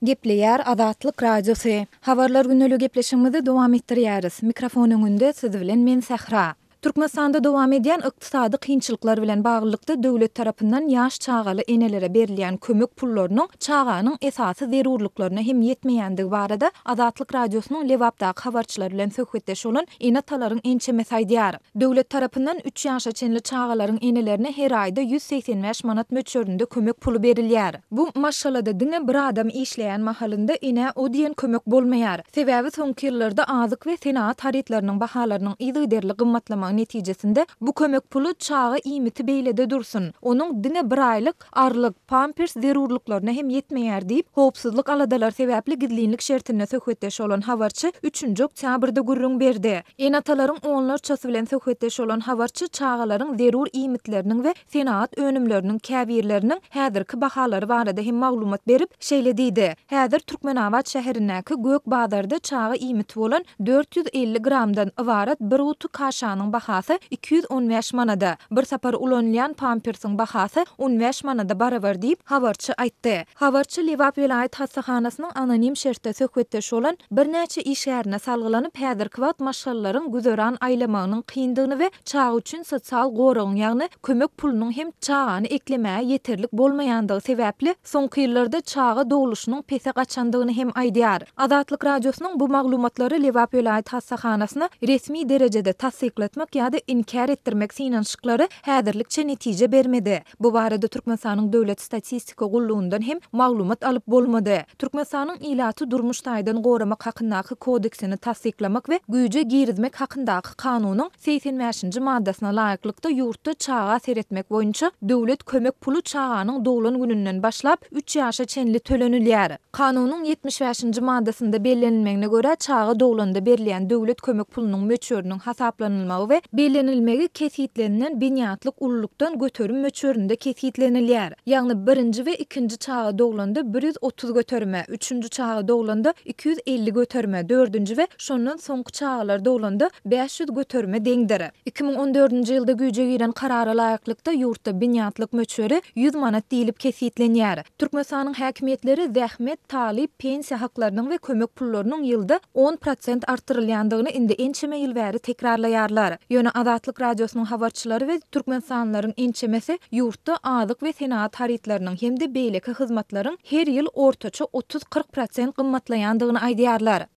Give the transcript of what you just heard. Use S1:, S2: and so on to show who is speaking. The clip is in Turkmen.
S1: Gepleýär Azatlyk Radiosy. Habarlar gündeliği gepleşigimizi dowam etdirýäris. Mikrofon öňünde siz bilen men Sähra. Türkmenistanda dowam edýän ykdysady kynçylyklar bilen baglylykda döwlet tarapyndan ýaş çagaly enelere berilýän kömek pullarynyň çaganyň esasy zerurlyklaryna hem ýetmeýändigi barada Azatlyk Radiosynyň Lebapdaky habarçylary bilen söhbetdeş bolan ene-atalaryň ençemesi aýdýar. Döwlet tarapyndan üç ýaşa çenli çagalaryň enelerine her aýda 185 manat möçberinde kömek puly berilýär. Bu maşgalada diňe bir adam işleýän mahalynda enä o diýen kömek bolmaýar. Sebäbi soňky ýyllarda azyk we senagat harytlarynyň bahalarynyň yzygiderli gymmatlamagy netijesinde bu kömek puly çaga iýmiti beýlede dursun, onuň diňe bir aýlyk arlyk, pampers zerurlyklaryna hem ýetmeýär diýip, howpsuzlyk aladalary sebäpli gizlinlik şertinde söhbetdeş bolan habarçy üçünji oktýabrda gürrüň berdi. Ene-atalaryň onlarçasy bilen söhbetdeş bolan habarçy çagalaryň zerur iýmitleriniň we senagat önümleriniň käbirleriniň häzirki bahalary barada hem maglumat berip, şeýle diýdi, Häzir Türkmenabat şäherindäki Gök bazarda çaga iýmiti bolan 450 gramdan ybarat bir guty kaşanyň bahasy 215 manada, bir sapar ulanylýan pampersiň bahasy on bäş manada barabar diýip, habarçy aýtdy. Habarçy Lebap welaýat hassahanasynyň anonim şertde söhbetdeş bolan birnäçe işgärine salgylanyp, häzirki wagt maşgalalaryň güzeran aýlamagynyň kyndygyny we çaga üçin sosial goragyň, ýagny kömek pulunyň hem çagany eklemäge ýeterlik bolmaýandygy sebäpli, soňky ýyllarda çaga dogluşynyň pese gaçandygyny hem aýdýar. Azatlyk Radiosynyň bu maglumatlary Lebap welaýat hassahanasyna resmi derejede tassyklatmak ýa-da inkär etdirmek synanyşyklary häzirlikçe netije bermedi. Bu barada Türkmenistanyň Döwlet statistika gullugyndan hem maglumat alyp bolmady. Türkmenistanyň Ilaty durmuş taýdan goramak hakyndaky kodeksini tassyklamak we güýje girizmek hakyndaky kanunyň 85-nji maddasyna laýyklykda ýurtda çaga seretmek boýunça döwlet kömek puly çaganyň doglan gününden başlap üç ýaşa çenli tölenilýär. Kanunyň 75-nji maddasynda bellenilmegine görä, çaga doglanda berilýän döwlet kömek pulunyň möçberiniň hasaplanylmagy we bellenilmegi kesgitlenilen binýatlyk ululykdan göterim möçberinde kesgitlenilýär. Ýagny birinji we ikinji çaga doglanda 130 göterime, üçünji çaga doglanda 250 göterime, dördünji we şondan soňky çagalar doglanda 500 göterime deňdir. 2014-nji ýylda güýje giren Karara laýyklykda, ýurtda binýatlyk möçberi 100 manat diýlip kesgitlenýär. Türkmenistanyň häkimiýetleri zähmet, talyp, pensiýa haklarynyň we kömek pullarynyň ýylda 10% artdyrylýandygyny indi ençeme ýyl bäri tekrarlaýarlar. Ýöne Azatlyk Radiosynyň habarçylary we türkmenistanlylaryň ençemesi ýurtda azyk we senagat harytlarynyň hem-de beýleki hyzmatlaryň her ýyl ortaça 30-40 prosent gymmatlaýandygyny aýdýarlar.